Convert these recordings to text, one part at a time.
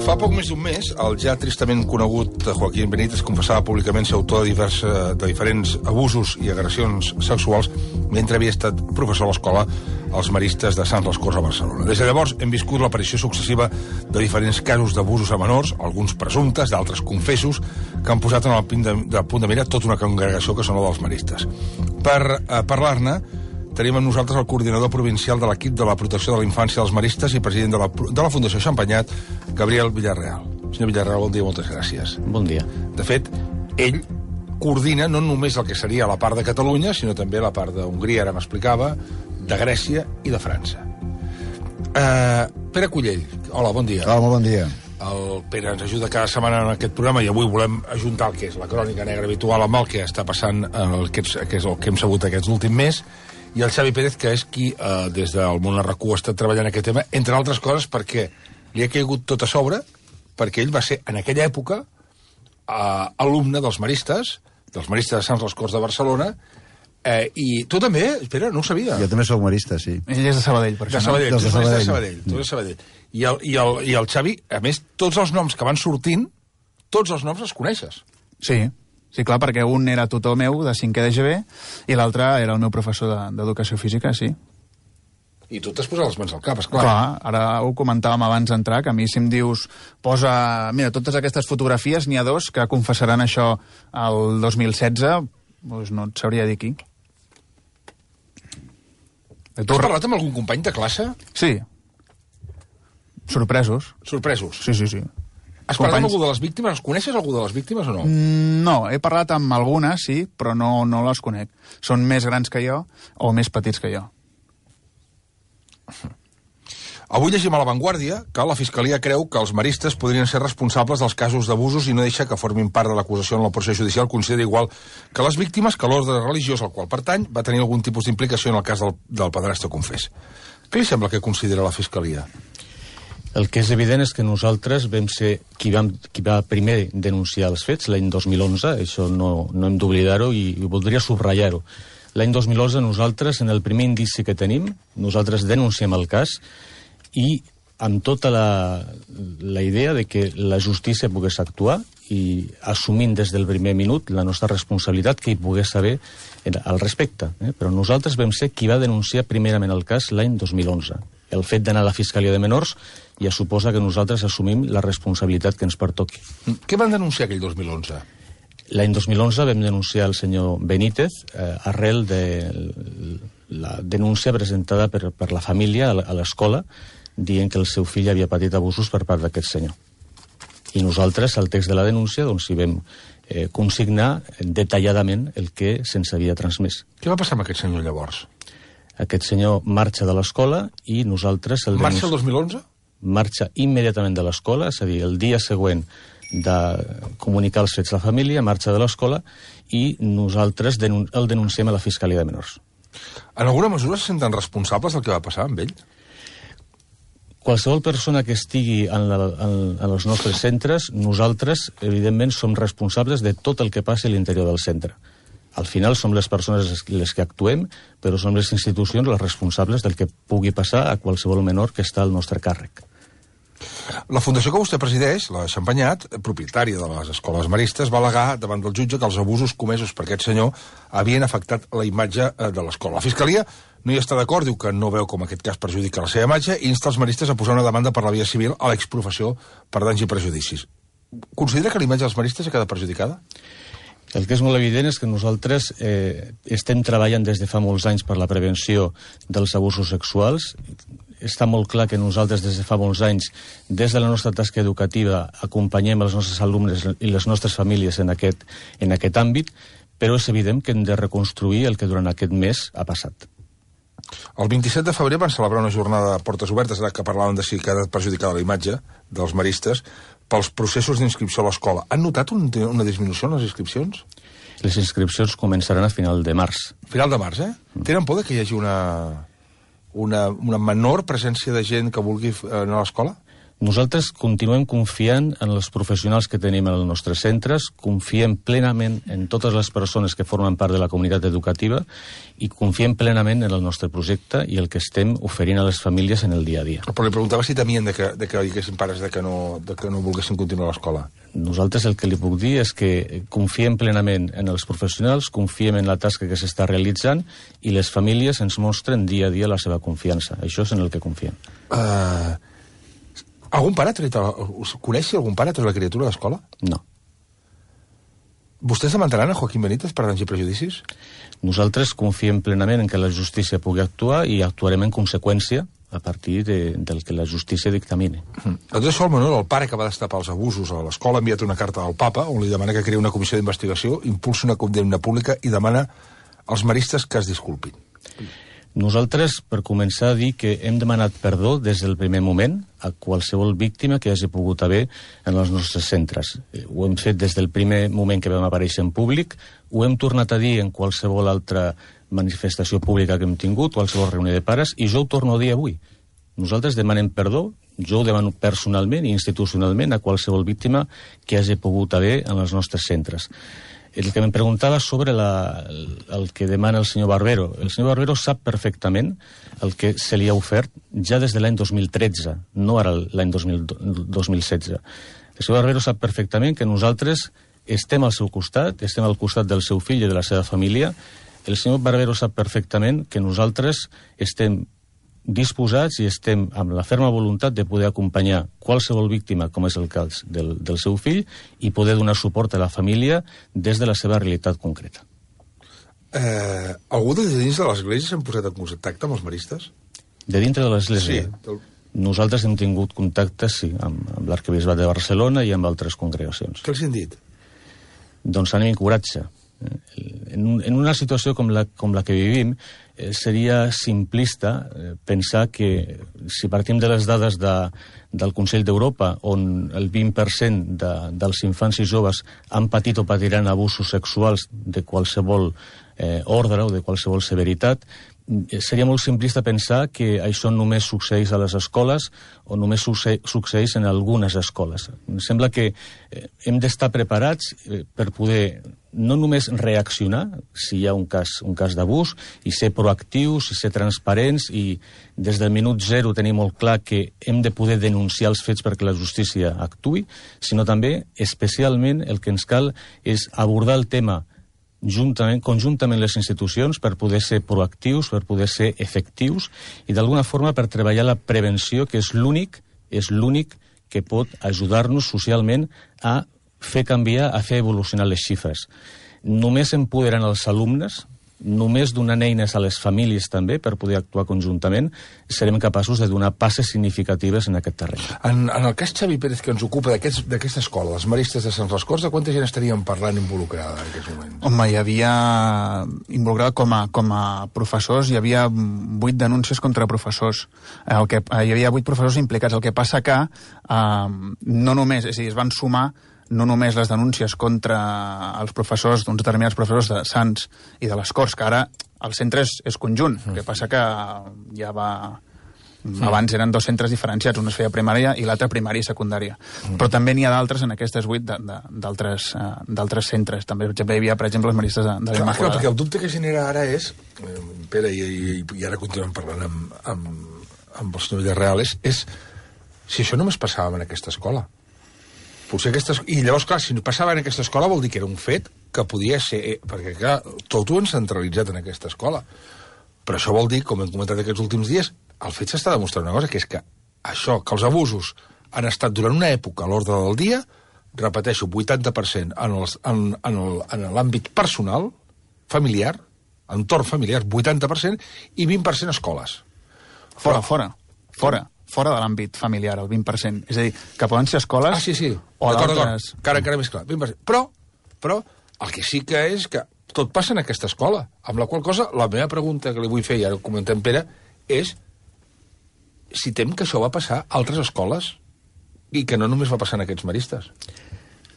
Fa poc més d'un mes, el ja tristament conegut Joaquín Benítez confessava públicament ser autor de diferents abusos i agressions sexuals mentre havia estat professor a l'escola als Maristes de Sants les Corts a Barcelona. Des de llavors hem viscut l'aparició successiva de diferents casos d'abusos a menors, alguns presumptes, d'altres confessos, que han posat en el punt de mira tota una congregació que són la dels Maristes. Per parlar-ne, tenim amb nosaltres el coordinador provincial de l'equip de la protecció de la infància dels Maristes i president de la Fundació Xampanyat, Gabriel Villarreal. Senyor Villarreal, bon dia, moltes gràcies. Bon dia. De fet, ell coordina no només el que seria la part de Catalunya, sinó també la part d'Hongria, ara m'explicava, de Grècia i de França. Pere Cullell, hola, bon dia. Hola, molt bon dia. El Pere ens ajuda cada setmana en aquest programa i avui volem ajuntar el que és la crònica negra habitual amb el que està passant, que és el que hem sabut aquest últim mes, i el Xavi Pérez, que és qui, des del món RAC1, ha estat treballant aquest tema, entre altres coses perquè li ha caigut tot a sobre, perquè ell va ser, en aquella època, alumne dels Maristes de Sants les Corts de Barcelona, i tu també, Pere, no ho sabia. Jo també soc marista, sí. Ell és de Sabadell, per això. De Sabadell, tu ets de Sabadell. Tu ets de Sabadell. I el Xavi, a més, tots els noms que van sortint, tots els noms els coneixes. Sí. Sí, clar, perquè un era tutor meu de 5è de GB i l'altre era el meu professor d'educació física, sí. I tu t'has posat les mans al cap, esclar. Clar, ara ho comentàvem abans d'entrar, que a mi si em dius, posa, mira, totes aquestes fotografies, n'hi ha dos que confessaran això el 2016, doncs no et sabria dir qui. Has parlat amb algun company de classe? Sí. Sorpresos. Sorpresos? Sí, sí, sí. Has parlat amb algú de les víctimes? Els coneixes, algú de les víctimes, o no? No, he parlat amb algunes, sí, però no les conec. Són més grans que jo o més petits que jo. Avui llegim a La Vanguardia que la Fiscalia creu que els maristes podrien ser responsables dels casos d'abusos i no deixa que formin part de l'acusació en la procés judicial. Considera igual que les víctimes que l'ordre religiós al qual pertany va tenir algun tipus d'implicació en el cas del padrastre confés. Què li sembla que considera la Fiscalia? El que és evident és que nosaltres vam ser qui va primer denunciar els fets l'any 2011, això no hem d'oblidar-ho i voldria subratllar-ho. L'any 2011 nosaltres, en el primer indici que tenim, nosaltres denunciem el cas i amb tota la idea de que la justícia pogués actuar i assumint des del primer minut la nostra responsabilitat que hi pogués saber al respecte. Però nosaltres vam ser qui va denunciar primerament el cas l'any 2011. El fet d'anar a la Fiscalia de Menors ja suposa que nosaltres assumim la responsabilitat que ens pertoqui. Què van denunciar aquell 2011? L'any 2011 vam denunciar el senyor Benítez arrel de la denúncia presentada per la família a l'escola dient que el seu fill havia patit abusos per part d'aquest senyor. I nosaltres, al text de la denúncia, doncs hi vam consignar detalladament el que se'ns havia transmès. Què va passar amb aquest senyor llavors? Aquest senyor marxa de l'escola i nosaltres... Marxa el 2011? Marxa immediatament de l'escola, és a dir, el dia següent de comunicar els fets a la família, marxa de l'escola i nosaltres el denunciem a la Fiscalia de Menors. En alguna mesura se senten responsables del que va passar amb ell? Qualsevol persona que estigui en els nostres centres, nosaltres, evidentment, som responsables de tot el que passi a l'interior del centre. Al final som les persones les que actuem, però som les institucions les responsables del que pugui passar a qualsevol menor que està al nostre càrrec. La fundació que vostè presideix, la Xampanyat, propietària de les escoles maristes, va al·legar davant del jutge que els abusos comesos per aquest senyor havien afectat la imatge de l'escola. La Fiscalia no hi està d'acord, diu que no veu com aquest cas perjudica la seva imatge i insta els maristes a posar una demanda per la via civil a l'exprofessió per danys i prejudicis. Considera que la imatge dels maristes ha quedat perjudicada? El que és molt evident és que nosaltres estem treballant des de fa molts anys per la prevenció dels abusos sexuals. Està molt clar que nosaltres des de fa molts anys, des de la nostra tasca educativa, acompanyem els nostres alumnes i les nostres famílies en aquest àmbit, però és evident que hem de reconstruir el que durant aquest mes ha passat. El 27 de febrer van celebrar una jornada de portes obertes, ara que parlàvem de si ha quedat perjudicada la imatge dels maristes, pels processos d'inscripció a l'escola. Han notat una disminució en les inscripcions? Les inscripcions començaran a final de març. Final de març, Tenen por que hi hagi una menor presència de gent que vulgui anar a l'escola? Nosaltres continuem confiant en els professionals que tenim en els nostres centres, confiem plenament en totes les persones que formen part de la comunitat educativa i confiem plenament en el nostre projecte i el que estem oferint a les famílies en el dia a dia. Però li preguntava si temien de que hi haguessin pares que no volguessin continuar a l'escola. Nosaltres el que li puc dir és que confiem plenament en els professionals, confiem en la tasca que s'està realitzant i les famílies ens mostren dia a dia la seva confiança. Això és en el que confiem. Algun pare coneix si algun pare ha tret la criatura a l'escola? No. Vostès demanaran a Joaquín Benítez per danys i prejudicis? Nosaltres confiem plenament en que la justícia pugui actuar i actuarem en conseqüència a partir del que la justícia dictamine. Tot això, el Manuel, el pare que va destapar els abusos a l'escola, ha enviat una carta al papa on li demana que creï una comissió d'investigació, impulsi una condemna pública i demana als maristes que es disculpin. Nosaltres, per començar a dir que hem demanat perdó des del primer moment a qualsevol víctima que hagi pogut haver en els nostres centres. Ho hem fet des del primer moment que vam aparèixer en públic, ho hem tornat a dir en qualsevol altra manifestació pública que hem tingut, qualsevol reunió de pares, i jo ho torno a dir avui. Nosaltres demanem perdó, jo ho demano personalment i institucionalment a qualsevol víctima que hagi pogut haver en els nostres centres. El que em preguntava sobre el que demana el senyor Barbero. El senyor Barbero sap perfectament el que se li ha ofert ja des de l'any 2013, no ara l'any 2016. El senyor Barbero sap perfectament que nosaltres estem al seu costat, estem al costat del seu fill i de la seva família. El senyor Barbero sap perfectament que nosaltres estem disposats i estem amb la ferma voluntat de poder acompanyar qualsevol víctima, com és el cas del seu fill, i poder donar suport a la família des de la seva realitat concreta. Algú de dins de l'Església s'han posat en contacte amb els maristes? De dintre de l'Església? Sí. Nosaltres hem tingut contactes, sí, amb l'Arquebisbat de Barcelona i amb altres congregacions. Què els han dit? Doncs ànim i coratge. En una situació com la que vivim, seria simplista pensar que si partim de les dades del Consell d'Europa, on el 20% dels infants i joves han patit o patiran abusos sexuals de qualsevol ordre o de qualsevol severitat, seria molt simplista pensar que això només succeeix a les escoles o només succeeix en algunes escoles. Em sembla que hem d'estar preparats per poder no només reaccionar si hi ha un cas d'abús, i ser proactius, i ser transparents, i des del minut zero tenir molt clar que hem de poder denunciar els fets perquè la justícia actuï, sinó també, especialment, el que ens cal és abordar el tema conjuntament les institucions per poder ser proactius, per poder ser efectius i d'alguna forma per treballar la prevenció, que és l'únic que pot ajudar-nos socialment a fer canviar, a fer evolucionar les xifres. Només empoderant els alumnes, només donant eines a les famílies també per poder actuar conjuntament, serem capaços de donar passes significatives en aquest terreny. En el cas Xavi Pérez que ens ocupa d'aquesta escola, els maristes de Sant Rascors, de quanta gent estaríem parlant involucrada en aquests moments? Home, hi havia involucrada com a professors, hi havia 8 denúncies contra professors. Hi havia 8 professors implicats. El que passa que no només, és a dir, es van sumar no només les denúncies contra els professors, d'uns determinats professors de Sants i de les Corts, que ara el centre és conjunt. El que passa que ja va... Abans eren 2 centres diferenciats, un es feia primària i l'altre primària i secundària. Però també n'hi ha d'altres en aquestes 8 d'altres centres. També hi havia, per exemple, els maristes de l'Immaculada. Perquè el dubte que genera ara és, Pere, i ara continuem parlant amb el senyor Villarreal, és si això només passava en aquesta escola. I llavors, clar, si passava en aquesta escola vol dir que era un fet que podia ser... Perquè, clar, tot ho han centralitzat en aquesta escola. Però això vol dir, com hem comentat aquests últims dies, el fet s'està demostrant una cosa, que és que això, que els abusos han estat durant una època a l'ordre del dia, repeteixo, 80% en l'àmbit personal, familiar, entorn familiar, 80%, i 20% escoles. Fora de l'àmbit familiar, el 20%. És a dir, que poden ser escoles... sí. O d'altres... Encara més clar, 20%. Però el que sí que és que tot passa en aquesta escola. Amb la qual cosa, la meva pregunta que li vull fer, i ara ho comentem, Pere, és si tem que això va passar a altres escoles i que no només va passar en aquests maristes.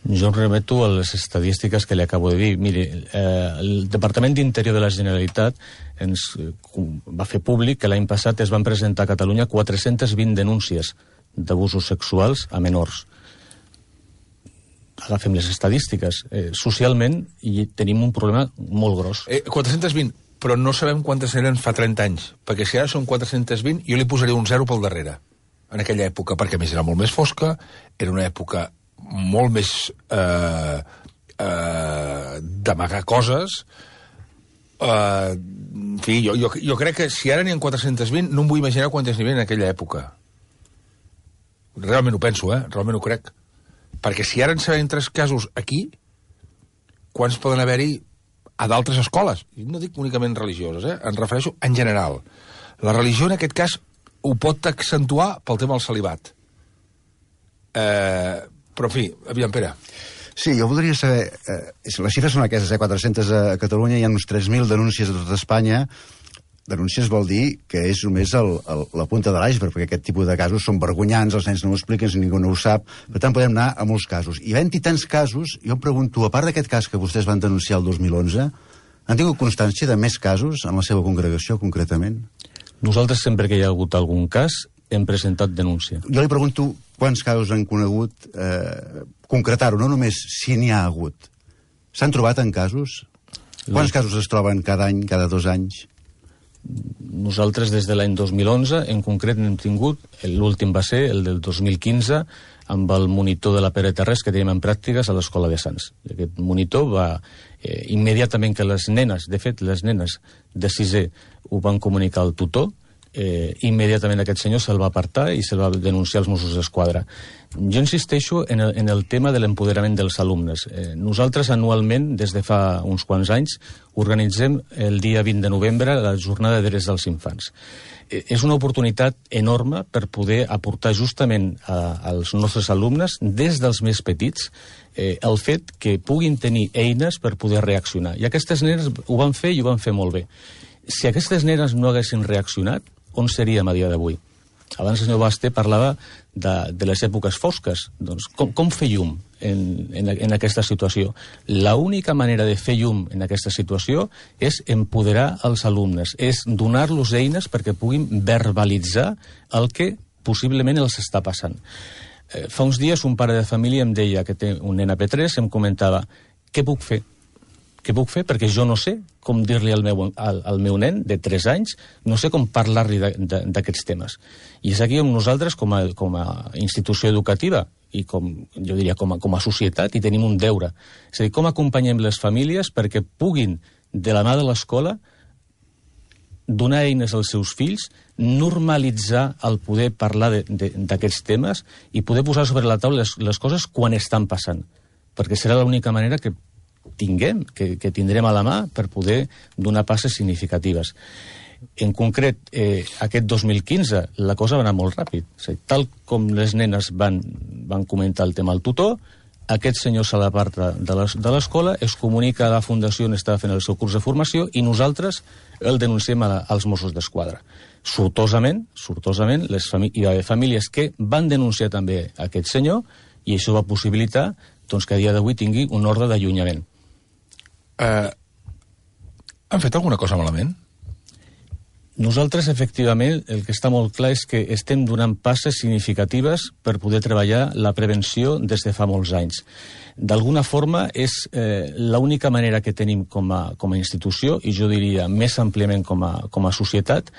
Jo em remeto a les estadístiques que li acabo de dir. Miri, el Departament d'Interior de la Generalitat ens va fer públic que l'any passat es van presentar a Catalunya 420 denúncies. d'abusos sexuals a menors. Agafem les estadístiques. Socialment tenim un problema molt gros. 420, però no sabem quantes eren fa 30 anys, perquè si ara són 420, jo li posaria un 0 pel darrere, en aquella època, perquè a més era molt més fosca, era una època molt més d'amagar coses. En fi, jo crec que si ara n'hi ha 420, no em vull imaginar quantes n'hi havia en aquella època. Realment ho penso, realment ho crec. Perquè si ara en sabem 3 casos aquí, quants poden haver-hi a d'altres escoles? I no dic únicament religioses, em refereixo en general. La religió, en aquest cas, ho pot accentuar pel tema del celibat. Però, en fi, aviam, Pere. Sí, jo voldria saber... les xifres són aquestes, 400 a Catalunya, hi ha uns 3.000 denúncies a tot Espanya. Denúncies vol dir que és només la punta de l'iceberg, perquè aquest tipus de casos són vergonyants, els nens no ho expliquen, ningú no ho sap, per tant podem anar a molts casos. I havent-hi tants casos, jo em pregunto, a part d'aquest cas que vostès van denunciar el 2011, han tingut constància de més casos en la seva congregació, concretament? Nosaltres, sempre que hi ha hagut algun cas, hem presentat denúncia. Jo li pregunto quants casos han conegut, concretar-ho, no només si n'hi ha hagut. S'han trobat en casos? Quants casos es troben cada any, cada 2 anys? Nosaltres des de l'any 2011 en concret n'hem tingut, l'últim va ser el del 2015 amb el monitor de la Pere Terrés que tenim en pràctiques a l'Escola de Sants. Aquest monitor va immediatament que les nenes, de fet les nenes de 6è ho van comunicar al tutor, immediatament aquest senyor se'l va apartar i se'l va denunciar als Mossos d'Esquadra. Jo insisteixo en el tema de l'empoderament dels alumnes. Nosaltres anualment, des de fa uns quants anys, organitzem el dia 20 de novembre la jornada de drets dels infants. És una oportunitat enorme per poder aportar justament als nostres alumnes, des dels més petits, el fet que puguin tenir eines per poder reaccionar. I aquestes nenes ho van fer i ho van fer molt bé. Si aquestes nenes no haguessin reaccionat, on seríem a dia d'avui? Abans el senyor Basté parlava de les èpoques fosques. Doncs com fer llum en aquesta situació? L'única manera de fer llum en aquesta situació és empoderar els alumnes, és donar-los eines perquè puguin verbalitzar el que possiblement els està passant. Fa uns dies un pare de família em deia que té un nen a P3, em comentava, què puc fer? Què puc fer? Perquè jo no sé com dir-li al meu nen de 3 anys, no sé com parlar-li d'aquests temes. I és aquí on nosaltres, com a institució educativa, i jo diria com a societat, hi tenim un deure. És a dir, com acompanyem les famílies perquè puguin, de la mà de l'escola, donar eines als seus fills, normalitzar el poder parlar d'aquests temes i poder posar sobre la taula les coses quan estan passant. Perquè serà l'única manera que que tindrem a la mà per poder donar passes significatives. En concret, aquest 2015 la cosa va anar molt ràpid. És a dir, tal com les nenes van comentar el tema al tutor, aquest senyor se l'aparta de l'escola, es comunica a la fundació on estava fent el seu curs de formació i nosaltres el denunciem als Mossos d'Esquadra. Sortosament, hi va haver famílies que van denunciar també aquest senyor i això va possibilitar que a dia d'avui tingui un ordre d'allunyament. Han fet alguna cosa malament? Nosaltres, efectivament, el que està molt clar és que estem donant passes significatives per poder treballar la prevenció des de fa molts anys. D'alguna forma, és l'única manera que tenim com a institució, i jo diria més àmpliament com a societat.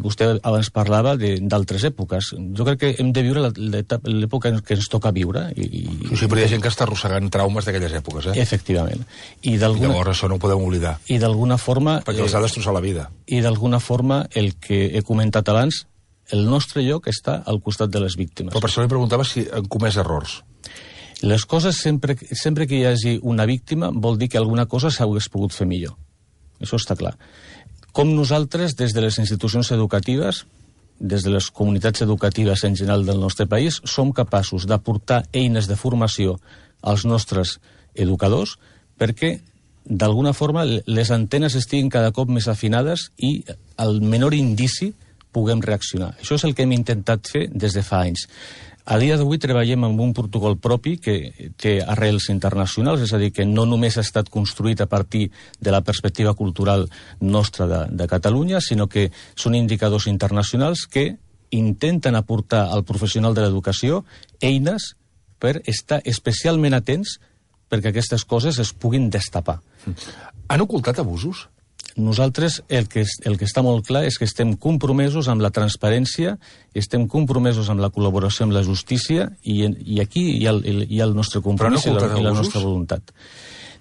Vostè abans parlava d'altres èpoques. Jo crec que hem de viure l'època que ens toca viure. Sí, però hi ha gent que està arrossegant traumes d'aquelles èpoques, Efectivament. I llavors això no ho podem oblidar. I d'alguna forma... Perquè els ha destrossat la vida. I d'alguna forma, el que he comentat abans, el nostre lloc està al costat de les víctimes. Però per això li preguntava si han comès errors. Les coses, sempre que hi hagi una víctima, vol dir que alguna cosa s'hagués pogut fer millor. Això està clar. Com nosaltres, des de les institucions educatives, des de les comunitats educatives en general del nostre país, som capaços d'aportar eines de formació als nostres educadors perquè, d'alguna forma, les antenes estiguin cada cop més afinades i al menor indici puguem reaccionar. Això és el que hem intentat fer des de fa anys. A dia d'avui treballem amb un protocol propi que té arrels internacionals, és a dir, que no només ha estat construït a partir de la perspectiva cultural nostra de Catalunya, sinó que són indicadors internacionals que intenten aportar al professional de l'educació eines per estar especialment atents perquè aquestes coses es puguin destapar. Han ocultat abusos? Nosaltres el que està molt clar és que estem compromesos amb la transparència, estem compromesos amb la col·laboració amb la justícia i aquí hi ha el nostre compromís i la nostra voluntat.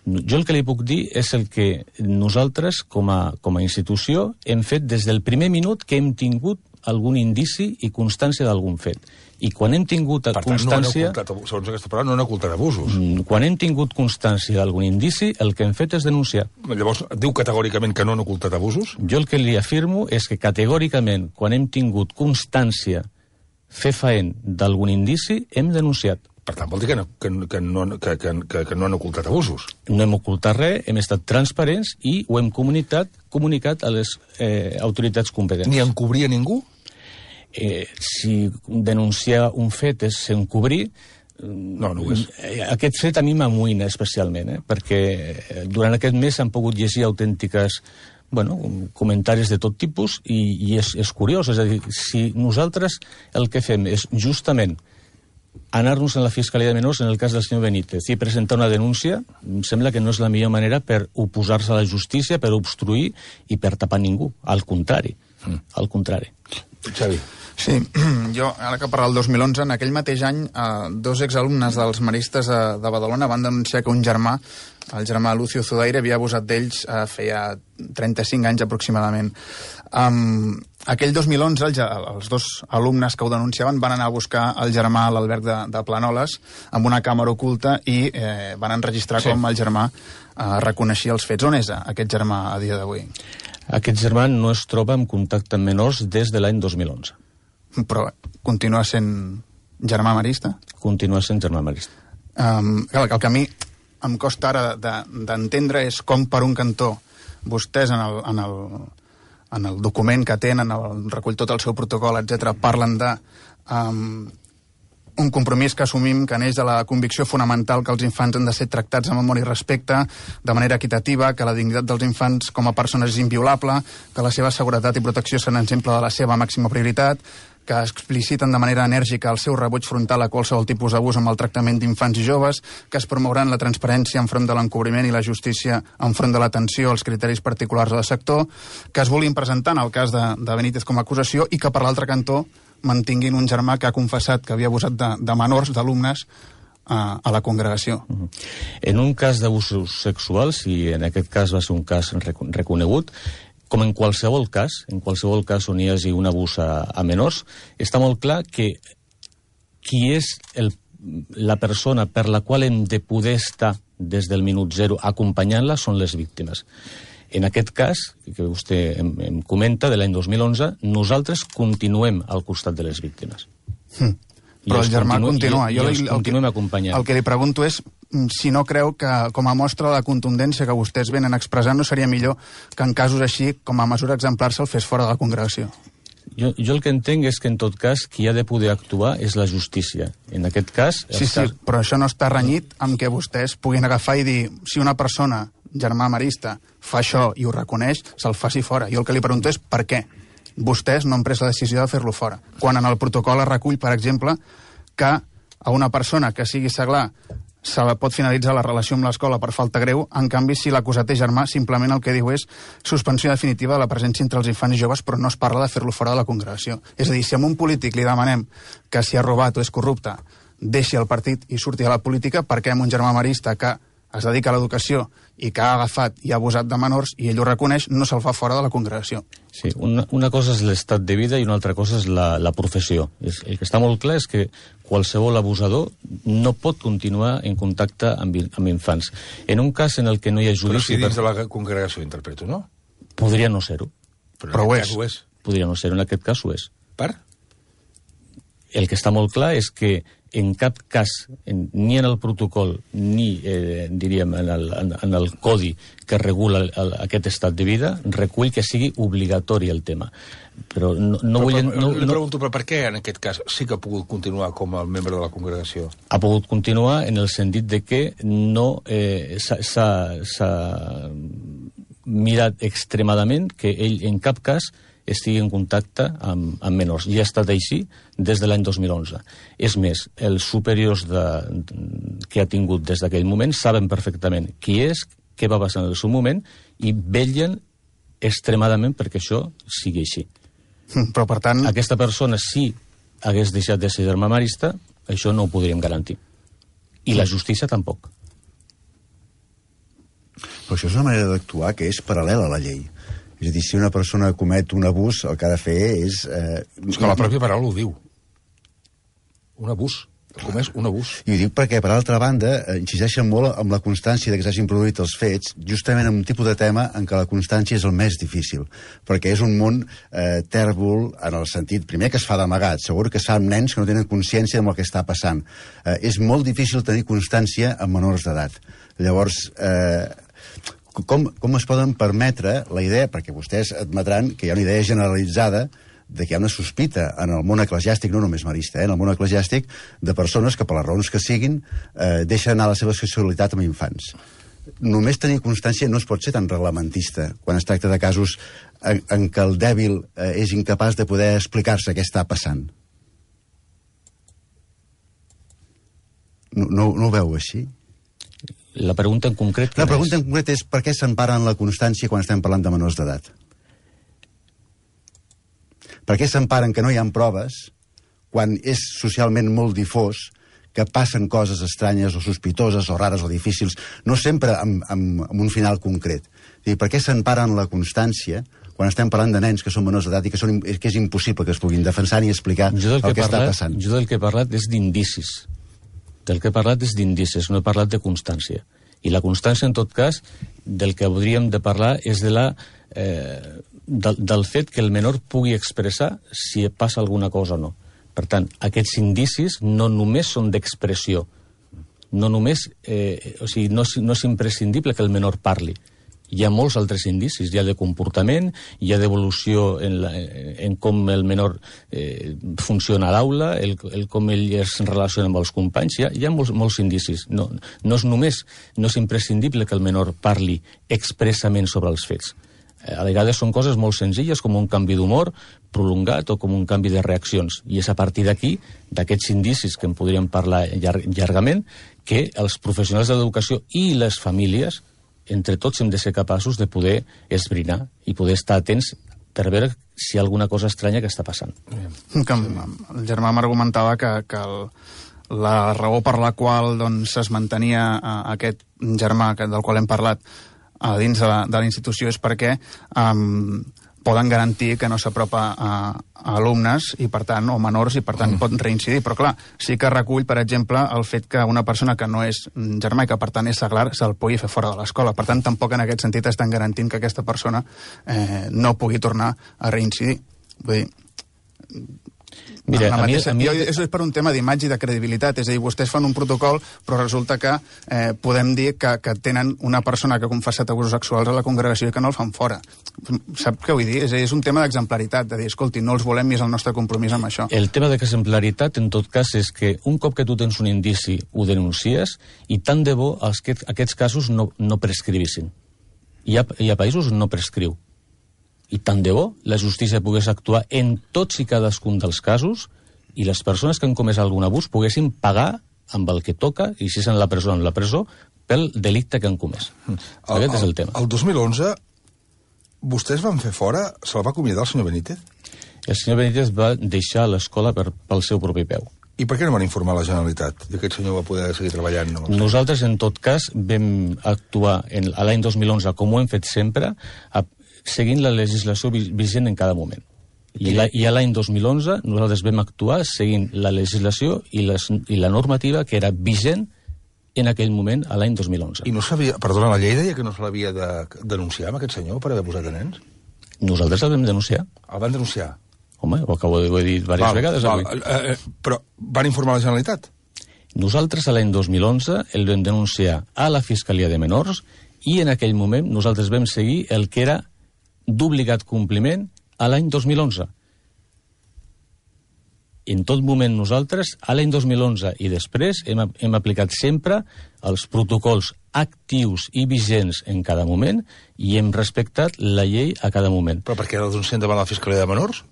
Jo el que li puc dir és el que nosaltres, com a institució, hem fet des del primer minut que hem tingut algun indici i constància d'algun fet. I quan hem tingut constància... Per tant, segons aquesta paraula, no han ocultat abusos. Quan hem tingut constància d'algun indici, el que hem fet és denunciar. Llavors, diu categòricament que no han ocultat abusos? Jo el que li afirmo és que categòricament, quan hem tingut constància fefaent d'algun indici, hem denunciat. Per tant, vol dir que no han ocultat abusos. No hem ocultat res, hem estat transparents i ho hem comunicat a les autoritats competents. Ni encobria ningú? Si denunciar un fet és encobrir, no ho és. Aquest fet a mi m'amoïna especialment, perquè durant aquest mes s'han pogut llegir autèntiques comentaris de tot tipus i és curiós, és a dir, si nosaltres el que fem és justament anar-nos a la Fiscalia de Menors, en el cas del senyor Benítez, i presentar una denúncia, em sembla que no és la millor manera per oposar-se a la justícia, per obstruir i per tapar ningú. Al contrari. Al contrari. Xavi. Sí, jo, ara que parla del 2011, en aquell mateix any, dos exalumnes dels maristes de Badalona van denunciar que un germà, el germà Lucio Zudaire, havia abusat d'ells feia 35 anys aproximadament. Aquell 2011, els dos alumnes que ho denunciaven van anar a buscar el germà a l'alberg de Planoles amb una càmera oculta i van enregistrar com el germà reconeixia els fets. On és aquest germà a dia d'avui? Aquest germà no es troba en contacte amb menors des de l'any 2011. Però continua sent germà marista? Continua sent germà marista. El que a mi em costa ara d'entendre és com, per un cantó, vostès en el document que tenen, recull tot el seu protocol, etc., parlen de un compromís que assumim que neix de la convicció fonamental que els infants han de ser tractats amb amor i respecte, de manera equitativa, que la dignitat dels infants com a persones és inviolable, que la seva seguretat i protecció són exemple de la seva màxima prioritat, que expliciten de manera enèrgica el seu rebuig frontal a qualsevol tipus d'abús amb el tractament d'infants i joves, que es promouran la transparència enfront de l'encobriment i la justícia enfront de l'atenció als criteris particulars del sector, que es vulguin presentar en el cas de Benítez com a acusació i que, per l'altre cantó, mantinguin un germà que ha confessat que havia abusat de menors, d'alumnes, a la congregació. En un cas d'abusos sexuals, i en aquest cas va ser un cas reconegut, com en qualsevol cas on hi hagi un abús a menors, està molt clar que qui és la persona per la qual hem de poder estar des del minut zero acompanyant-la són les víctimes. En aquest cas, que vostè em comenta, de l'any 2011, nosaltres continuem al costat de les víctimes. Però el germà continua. Continuem acompanyant. El que li pregunto és si no creu que, com a mostra de la contundència que vostès venen expressant, no seria millor que en casos així, com a mesura exemplar, se'l fes fora de la congregació? Jo el que entenc és que, en tot cas, qui ha de poder actuar és la justícia. En aquest cas... Sí, però això no està renyit amb que vostès puguin agafar i dir si una persona, germà marista, fa això i ho reconeix, se'l faci fora. Jo el que li pregunto és per què vostès no han pres la decisió de fer-lo fora. Quan en el protocol es recull, per exemple, que a una persona que sigui seglar se la pot finalitzar la relació amb l'escola per falta greu, en canvi, si l'acusat és germà, simplement el que diu és suspensió definitiva de la presència entre els infants i joves, però no es parla de fer-lo fora de la congregació. És a dir, si a un polític li demanem que si ha robat o és corrupte deixi el partit i surti de la política, per què un germà marista que es dedica a l'educació i que ha agafat i ha abusat de menors i ell ho reconeix, no se'l fa fora de la congregació? Sí, una cosa és l'estat de vida i una altra cosa és la professió. El que està molt clar és que qualsevol abusador no pot continuar en contacte amb infants. En un cas en el que no hi ha judici... Però si dins de la congregació, interpreto, no? Podria no ser-ho. Però en aquest cas ho és. Podria no ser-ho, en aquest cas ho és. Per? El que està molt clar és que en cap cas, ni en el protocol, ni, diríem, en el codi que regula aquest estat de vida, recull que sigui obligatori el tema. Però no vull... Li pregunto, però per què en aquest cas sí que ha pogut continuar com a membre de la congregació? Ha pogut continuar en el sentit de que no s'ha mirat extremadament que ell en cap cas estigui en contacte amb menors. I ha estat així des de l'any 2011. És més, els superiors que ha tingut des d'aquell moment saben perfectament qui és, què va passar en el seu moment, i vetllen extremadament perquè això sigui així. Però, per tant... Aquesta persona, si hagués deixat de ser germà marista, això no ho podríem garantir. I la justícia tampoc. Però això és una manera d'actuar que és paral·lela a la llei. És a dir, si una persona comet un abús, el que ha de fer és... És que la pròpia paraula ho diu. Un abús. Com és un abús. I ho dic perquè, per altra banda, insisteixen molt amb la constància de que s'hagin produït els fets, justament en un tipus de tema en què la constància és el més difícil, perquè és un món tèrbol en el sentit, primer, que es fa d'amagat, segur que s'ha amb nens que no tenen consciència del que està passant. És molt difícil tenir constància amb menors d'edat. Llavors, com es poden permetre la idea, perquè vostès admetran que hi ha una idea generalitzada de que hi ha una sospita en el món eclesiàstic, no només marista, en el món eclesiàstic, de persones que, per les raons que siguin, deixen anar la seva sexualitat amb infants. Només tenir constància no es pot ser tan reglamentista quan es tracta de casos en què el dèbil és incapaç de poder explicar-se què està passant. No ho veu així? La pregunta en concret... La pregunta en concret és per què s'empara en la constància quan estem parlant de menors d'edat? Per què s'emparen que no hi ha proves quan és socialment molt difós que passen coses estranyes o sospitoses o rares o difícils, no sempre amb un final concret? Per què s'emparen la constància quan estem parlant de nens que són menors d'edat i que és impossible que es puguin defensar ni explicar el que està passant? Jo del que he parlat és d'indicis. Del que he parlat és d'indicis, no he parlat de constància. I la constància, en tot cas, del que hauríem de parlar és del fet que el menor pugui expressar si passa alguna cosa o no. Per tant, aquests indicis no només són d'expressió, no només, no és imprescindible que el menor parli. Hi ha molts altres indicis, hi ha de comportament, hi ha d'evolució en com el menor funciona a l'aula, com ell es relaciona amb els companys, hi ha molts indicis. No és imprescindible que el menor parli expressament sobre els fets. A vegades són coses molt senzilles, com un canvi d'humor prolongat o com un canvi de reaccions. I és a partir d'aquí, d'aquests indicis que en podríem parlar llargament, que els professionals de l'educació i les famílies, entre tots hem de ser capaços de poder esbrinar i poder estar atents per veure si hi ha alguna cosa estranya que està passant. El germà m'argumentava que la raó per la qual es mantenia aquest germà del qual hem parlat a dins de la institució és perquè poden garantir que no s'apropa a alumnes i per tant, o menors, i per tant pot reincidir. Però clar, sí que recull, per exemple, el fet que una persona que no és germà i que per tant és seglar se'l pugui fer fora de l'escola. Per tant, tampoc en aquest sentit estan garantint que aquesta persona no pugui tornar a reincidir. Vull dir... Mira, això és per un tema d'imatge i de credibilitat, és a dir, vostès fan un protocol però resulta que podem dir que tenen una persona que ha confessat abusos sexuals a la congregació i que no el fan fora. Sap què vull dir? És un tema d'exemplaritat, de dir, escolti, no els volem i és el nostre compromís amb això. El tema d'exemplaritat, en tot cas, és que un cop que tu tens un indici ho denuncies i tant de bo aquests casos no prescrivissin. Hi ha països on no prescriu. I tant de bo la justícia pogués actuar en tots i cadascun dels casos i les persones que han comès algun abús poguessin pagar amb el que toca, i si és en la presó, pel delicte que han comès. Aquest és el tema. El 2011, vostès van fer fora, se'l va acomiadar el senyor Benítez? El senyor Benítez va deixar l'escola pel seu propi peu. I per què no van informar la Generalitat? I aquest senyor va poder seguir treballant? Nosaltres, en tot cas, vam actuar a l'any 2011, com ho hem fet sempre, seguint la legislació vigent en cada moment. I a l'any 2011 nosaltres vam actuar seguint la legislació i la normativa que era vigent en aquell moment, a l'any 2011. I no sabia, perdona, la llei deia que no se l'havia de denunciar amb aquest senyor per haver posat a nens? Nosaltres el vam denunciar. El van denunciar? Home, ho acabo de dir diverses vegades avui. Però van informar la Generalitat? Nosaltres a l'any 2011 el vam denunciar a la Fiscalia de Menors i en aquell moment nosaltres vam seguir el que era d'obligat compliment a l'any 2011. en tot moment nosaltres, a l'any 2011 i després, hem aplicat sempre els protocols actius i vigents en cada moment i hem respectat la llei a cada moment. Però per què el denuncien davant la Fiscalia de Menors?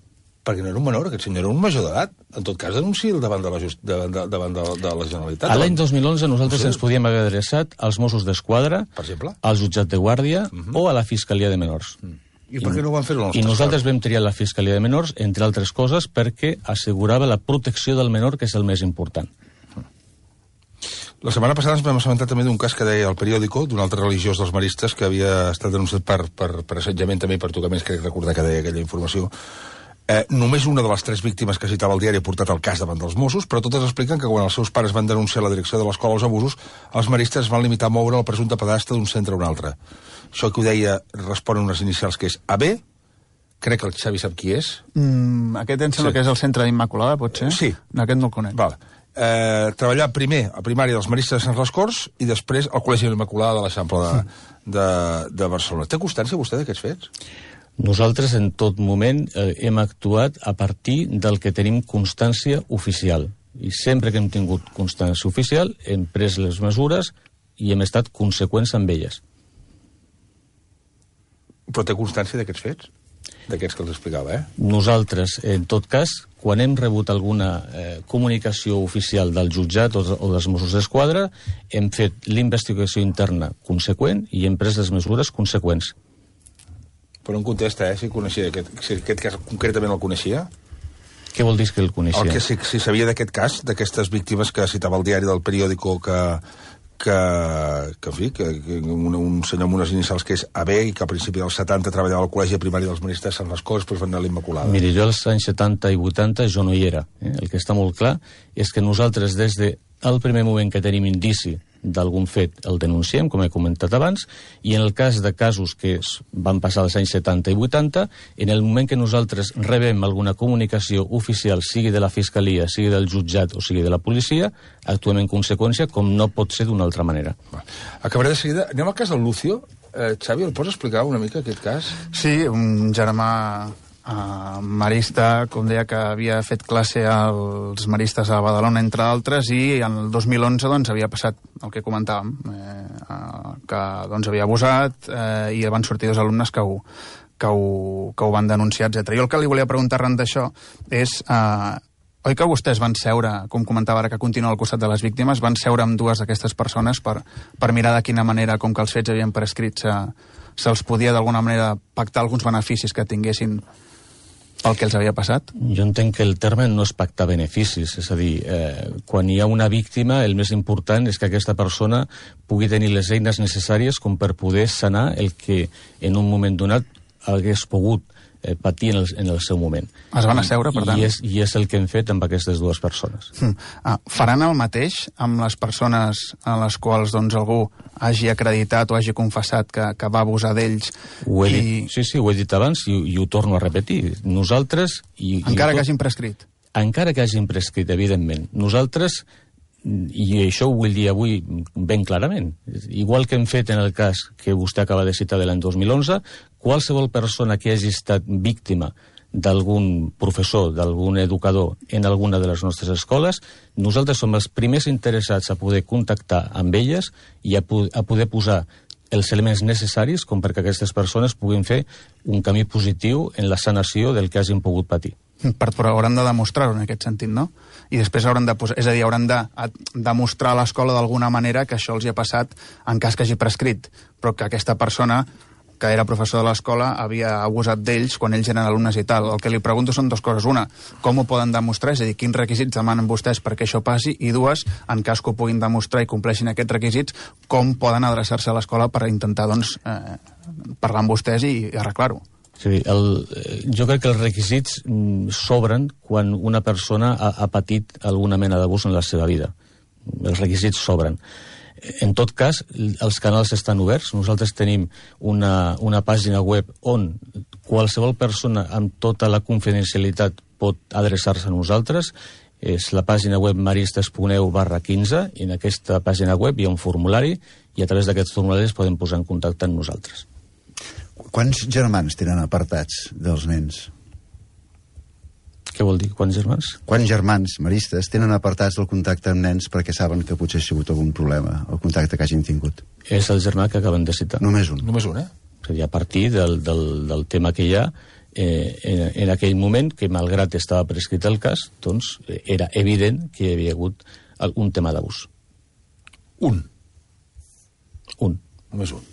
Perquè no era un menor, aquest senyor era un major d'edat. En tot cas, denuncia'l davant de la Generalitat. A l'any 2011 nosaltres ens podíem haver adreçat als Mossos d'Esquadra, per exemple, al jutjat de guàrdia o a la Fiscalia de Menors. I per què no ho van fer I nosaltres vam triar la Fiscalia de Menors, entre altres coses, perquè assegurava la protecció del menor, que és el més important. La setmana passada ens vam assabentar també d'un cas que deia el periòdico, d'un altre religiós dels maristes que havia estat denunciat per assetjament també i per tocaments, crec recordar que deia aquella informació. Només una de les 3 víctimes que citava el diari ha portat el cas davant dels Mossos, però totes expliquen que quan els seus pares van denunciar la direcció de l'escola els abusos, els maristes van limitar a moure el presumpte pedastre d'un centre a un altre. Això que ho deia respon a unes inicials que és AB, crec que el Xavi sap qui és. Aquest em sembla que és el centre d'Immaculada, pot ser? Sí. Aquest no el conec. Vale. Treballar primer a primària dels maristes de Sant Les Corts i després al Col·legi de l'Immaculada de l'Eixample de Barcelona. Té constància vostè d'aquests fets? Nosaltres en tot moment hem actuat a partir del que tenim constància oficial. I sempre que hem tingut constància oficial hem pres les mesures i hem estat conseqüents amb elles. Però té constància d'aquests fets? D'aquests que els explicava, Nosaltres, en tot cas, quan hem rebut alguna comunicació oficial del jutjat o dels Mossos d'Esquadra, hem fet l'investigació interna conseqüent i hem pres les mesures conseqüents. Però no contesta, si coneixia si aquest cas concretament el coneixia. Què vol dir que el coneixia? Si sabia d'aquest cas, d'aquestes víctimes que citava el diari del periòdico que un senyor amb unes inicials que és AB i que a principi dels 70 treballava al Col·legi Primari dels Maristes de Sant Les Corts, després van anar a l'Immaculada. Miri, jo als anys 70 i 80 jo no hi era. El que està molt clar és que nosaltres des del primer moment que tenim indici d'algun fet el denunciem, com he comentat abans, i en el cas de casos que van passar als anys 70 i 80, en el moment que nosaltres rebem alguna comunicació oficial, sigui de la Fiscalia, sigui del jutjat o sigui de la policia, actuem en conseqüència, com no pot ser d'una altra manera. Acabaré de seguida. Anem al cas del Lucio. Xavi, el pots explicar una mica aquest cas? Sí, un germà marista, com deia, que havia fet classe als maristes a Badalona, entre altres, i en el 2011 doncs, havia passat el que comentàvem, que doncs, havia abusat i van sortir 2 alumnes que ho van denunciar, etc. Jo el que li volia preguntar arran d'això és... Oi que vostès van seure, com comentava ara que continua al costat de les víctimes, van seure amb 2 d'aquestes persones per mirar de quina manera, com que els fets havien prescrit, se'ls podia d'alguna manera pactar alguns beneficis que tinguessin pel que els havia passat? Jo entenc que el terme no és pactar beneficis, és a dir, quan hi ha una víctima el més important és que aquesta persona pugui tenir les eines necessàries com per poder sanar el que en un moment donat hagués pogut patir en el seu moment. Es van asseure, per tant? I és el que hem fet amb aquestes 2 persones. Faran el mateix amb les persones a les quals doncs, algú hagi acreditat o hagi confessat que va abusar d'ells? Sí, ho he dit abans i ho torno a repetir. Nosaltres... Encara que hagin prescrit? Encara que hagin prescrit, evidentment. Nosaltres, i això ho vull dir avui ben clarament, igual que hem fet en el cas que vostè acaba de citar de l'any 2011, qualsevol persona que hagi estat víctima d'algun professor, d'algun educador en alguna de les nostres escoles, nosaltres som els primers interessats a poder contactar amb elles i a poder posar els elements necessaris com perquè aquestes persones puguin fer un camí positiu en la sanació del que hagin pogut patir. Però hauran de demostrar-ho en aquest sentit, no? I després hauran de posar... És a dir, hauran de demostrar a l'escola d'alguna manera que això els hi ha passat en cas que hagi prescrit, però que aquesta persona que era professor de l'escola havia abusat d'ells quan ells eren alumnes i tal. El que li pregunto són 2 coses. Una, com ho poden demostrar? És a dir, quins requisits demanen vostès perquè això passi? I 2, en cas que ho puguin demostrar i compleixin aquests requisits, com poden adreçar-se a l'escola per intentar, doncs, parlar amb vostès i arreglar-ho? Sí, jo crec que els requisits s'obren quan una persona ha patit alguna mena d'abús en la seva vida. Els requisits s'obren. En tot cas, els canals estan oberts. Nosaltres tenim una pàgina web on qualsevol persona amb tota la confidencialitat pot adreçar-se a nosaltres. És la pàgina web maristes.eu/15 i en aquesta pàgina web hi ha un formulari i a través d'aquests formularis podem posar en contacte amb nosaltres. Quants germans tenen apartats dels nens? Què vol dir, quants germans? Quants germans maristes tenen apartats del contacte amb nens perquè saben que potser ha sigut algun problema, el contacte que hagin tingut? És el germà que acaben de citar. Només un. Només un, És a dir, a partir del tema que hi ha, en aquell moment, que malgrat estava prescrit el cas, doncs era evident que hi havia hagut un tema d'abús. Un. Només un.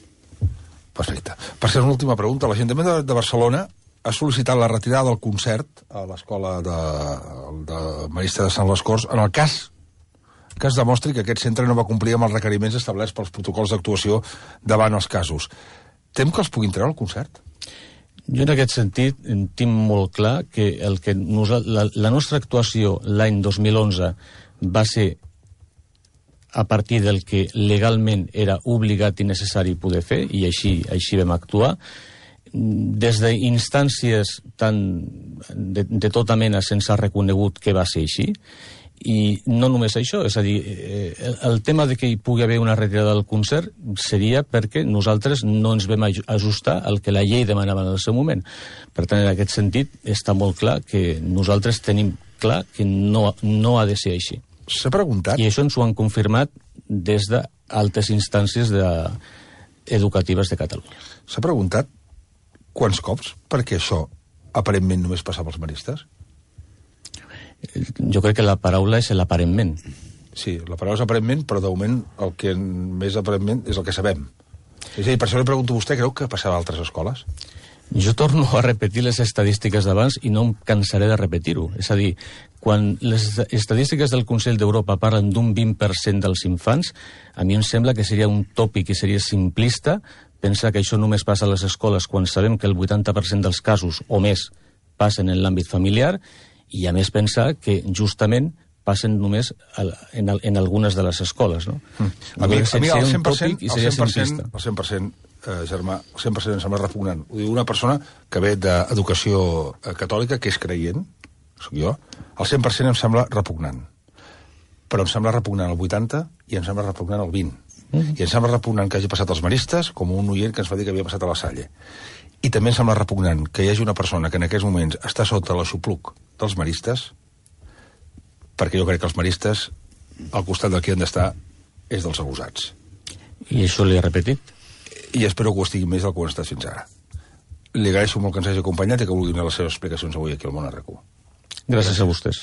Perfecte. Per ser una última pregunta, l'Ajuntament de Barcelona ha sol·licitat la retirada del concert a l'escola de Marista de Sant Les Corts en el cas que es demostri que aquest centre no va complir amb els requeriments establerts pels protocols d'actuació davant els casos. Tem que els puguin treure el concert? Jo en aquest sentit tinc molt clar que la nostra actuació l'any 2011 va ser a partir del que legalment era obligat i necessari poder fer, i així vam actuar. Des d'instàncies de tota mena se'ns ha reconegut que va ser així, i no només això, és a dir, el tema de que hi pugui haver una retirada del concert seria perquè nosaltres no ens vam ajustar al que la llei demanava en el seu moment. Per tant, en aquest sentit, està molt clar que nosaltres tenim clar que no ha de ser així. S'ha preguntat... I això ens ho han confirmat des d'altes instàncies educatives de Catalunya. S'ha preguntat quants cops perquè això aparentment només passava als maristes? Jo crec que la paraula és l'aparentment. Sí, la paraula és aparentment, però de moment el que més aparentment és el que sabem. És a dir, per això li pregunto a vostè, creu que passava a altres escoles? Jo torno a repetir les estadístiques d'abans i no em cansaré de repetir-ho. És a dir, quan les estadístiques del Consell d'Europa parlen d'un 20% dels infants, a mi em sembla que seria un tòpic i seria simplista pensar que això només passa a les escoles quan sabem que el 80% dels casos o més passen en l'àmbit familiar, i a més pensar que justament passen només en algunes de les escoles, no? A mi el 100%, el 100%, Germà, el 100% em sembla repugnant. Ho diu una persona que ve d'educació catòlica, que és creient, soc jo, el 100% em sembla repugnant. Però em sembla repugnant el 80% i em sembla repugnant el 20%. I em sembla repugnant que hagi passat als maristes, com un oient que ens va dir que havia passat a la Salle. I també em sembla repugnant que hi hagi una persona que en aquests moments està sota l'aixopluc dels maristes, perquè jo crec que els maristes, al costat del que han d'estar, és dels abusats. I això li he repetit. I espero que ho estigui més del que ho han estat fins ara. Li agraeixo molt que ens hagi acompanyat i que vulgui donar les seves explicacions avui aquí al Món RQ. Gràcies a vostès.